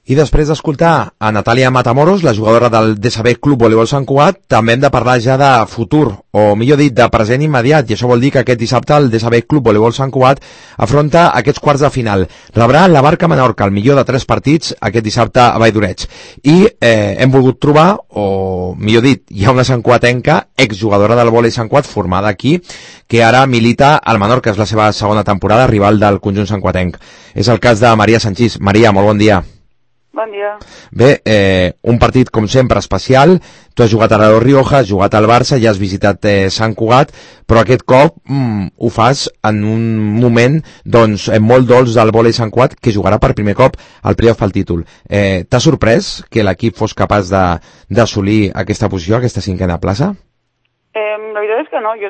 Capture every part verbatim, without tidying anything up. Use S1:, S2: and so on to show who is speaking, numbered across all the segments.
S1: I després d'escoltar a Natàlia Matamoros, la jugadora del D S B Club Voleibol Sant Cugat, també hem de parlar ja de futur, o millor dit, de present immediat, i això vol dir que aquest dissabte el D S B Club Voleibol Sant Cugat afronta aquests quarts de final. Rebrà la Barca Menorca, el millor de tres partits, aquest dissabte a Valldoreig. I eh, hem volgut trobar, o millor dit, hi ha una santcuatenca, exjugadora del vòlei Sant Cugat, formada aquí, que ara milita al Menorca, és la seva segona temporada, rival del conjunt santcuatenc. És el cas de Maria Sanchís. Maria, molt bon dia.
S2: Bon dia.
S1: Bé, eh, un partit com sempre especial. Tu has jugat a la Rioja, has jugat al Barça, ja has visitat eh, Sant Cugat, però aquest cop mm, ho fas en un moment doncs molt dolç del vòlei Sant Cugat, que jugarà per primer cop al playoff pel títol. Eh, T'ha sorprès que l'equip fos capaç d'assolir aquesta posició, aquesta cinquena plaça?
S2: Eh, la veritat és que no, jo,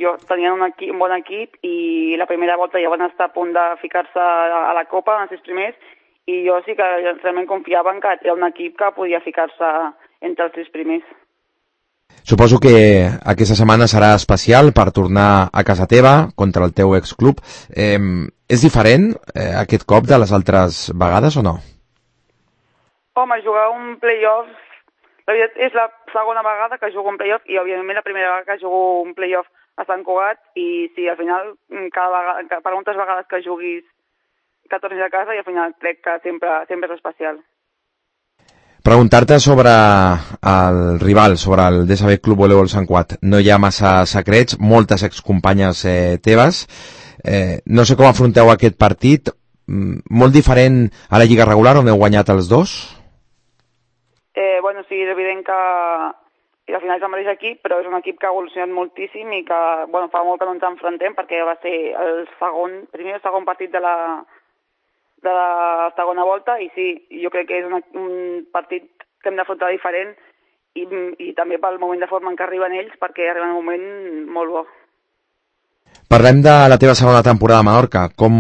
S2: jo tenia un, equip, un bon equip i la primera volta ja van estar a punt de ficar-se a la Copa, en els sis primers, i jo sí que realment confiava en que era un equip que podia ficar-se entre els tres primers.
S1: Suposo que aquesta setmana serà especial per tornar a casa teva contra el teu exclub. Eh, és diferent eh, aquest cop de les altres vegades o no?
S2: Home, jugar un playoff, la veritat és la segona vegada que jugo un playoff i òbviament la primera vegada que jugo un playoff a Sant Cugat, i sí, al final, cada vegada, per moltes vegades que juguis que tornis a casa, i al final crec que sempre, sempre és especial.
S1: Preguntar-te sobre el rival, sobre el D S B Club Voleibol Sant Cugat. No hi ha massa secrets, moltes excompanyes eh, teves. Eh, no sé com afronteu aquest partit, molt diferent a la Lliga regular, on heu guanyat els dos?
S2: Eh, bueno, sí, és evident que i al final és el mateix equip, però és un equip que ha evolucionat moltíssim i que, bueno, fa molt que no ens enfrontem, perquè va ser el segon, primer o segon partit de la de la segona volta, i sí, jo crec que és una, un partit que hem d'afrontar diferent i, i també pel moment de forma en què arriben ells, perquè arriben un moment molt bo.
S1: Parlem de la teva segona temporada a Menorca. Com,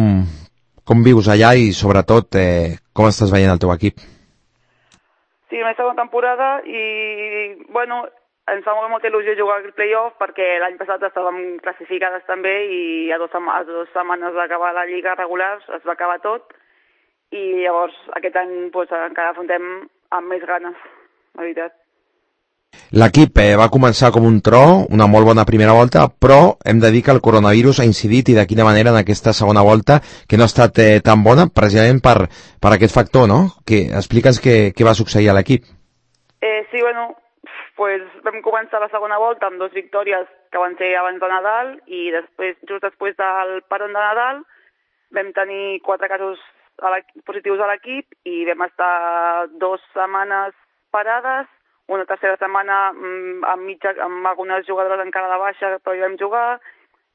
S1: com vius allà i sobretot eh, com estàs veient el teu equip?
S2: Sí, la meva segona temporada i, bueno, ens fa molt molta il·lusió jugar al playoff perquè l'any passat estàvem classificades també i a dues, a dues setmanes d'acabar la lliga regular es va acabar tot. I llavors aquest any pues, encara afrontem amb més ganes, la veritat.
S1: L'equip eh, va començar com un tro, una molt bona primera volta, però hem de dir que el coronavirus ha incidit, i de quina manera, en aquesta segona volta, que no ha estat eh, tan bona, precisament per, per aquest factor, no? Que, explica'ns què, què va succeir a l'equip.
S2: Eh, sí, bueno, pues vam començar la segona volta amb dues victòries que van ser abans de Nadal, i després, just després del paron de Nadal vam tenir quatre casos a positius a l'equip i vam estar dues setmanes parades, una tercera setmana amb, mitja, amb algunes jugadores encara de baixa, però hi vam jugar,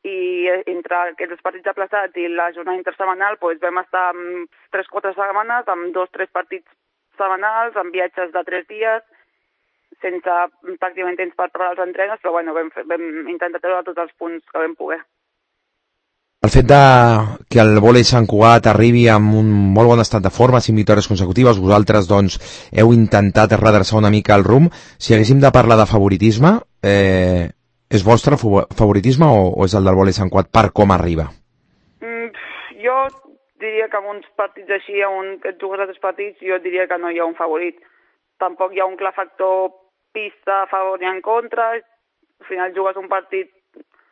S2: i entre aquests partits aplaçats i la jornada intersemanal pues, vam estar amb tres o quatre setmanes, amb dos o tres partits setmanals, amb viatges de tres dies, sense pràcticament temps per preparar els entrenos, però bueno, vam, vam intentar treure tots els punts que vam poder.
S1: El fet de que el vòlei Sant Cugat arribi amb un molt bon estat de forma, cinc victòries consecutives, vosaltres doncs heu intentat redreçar una mica el rumb. Si haguéssim de parlar de favoritisme, eh, és vostre favoritisme o, o és el del vòlei Sant Cugat per com arriba?
S2: Mm, jo diria que amb uns partits així, on et jugues a tres partits, jo diria que no hi ha un favorit. Tampoc hi ha un clar factor pista a favor i en contra. Al final jugues un partit,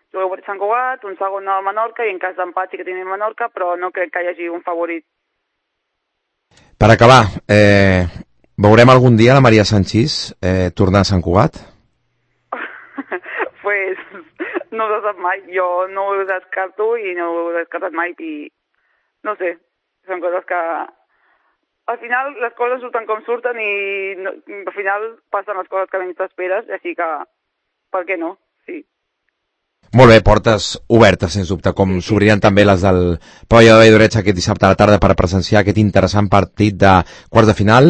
S2: jugueu per Sant Cugat, un segon a Menorca, i en cas d'empat sí que tenim Menorca, però no crec que hi hagi un favorit.
S1: Per acabar, eh, veurem algun dia la Maria Sanchís eh, tornar a Sant Cugat?
S2: Pues no ho sap mai, jo no ho descarto i no ho he descartat mai, i no sé, són coses que al final les coses surten com surten i no, al final passen les coses que menys t'esperes, així que per què no? Sí.
S1: Molt bé, portes obertes, sens dubte, com s'obriran també les del Pavelló de Valldoreig aquest dissabte a la tarda per presenciar aquest interessant partit de quarts de final,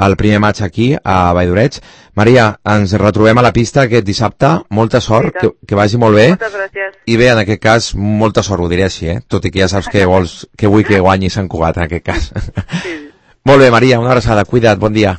S1: el primer match aquí a Valldoreig. Maria, ens retrobem a la pista aquest dissabte, molta sort, sí, que, que vagi molt bé.
S2: Moltes gràcies.
S1: I bé, en aquest cas, molta sort, ho diré així, eh? Tot i que ja saps que vols, que vull que guanyi Sant Cugat, en aquest cas. Sí. Molt bé, Maria, una abraçada, cuida't, bon dia.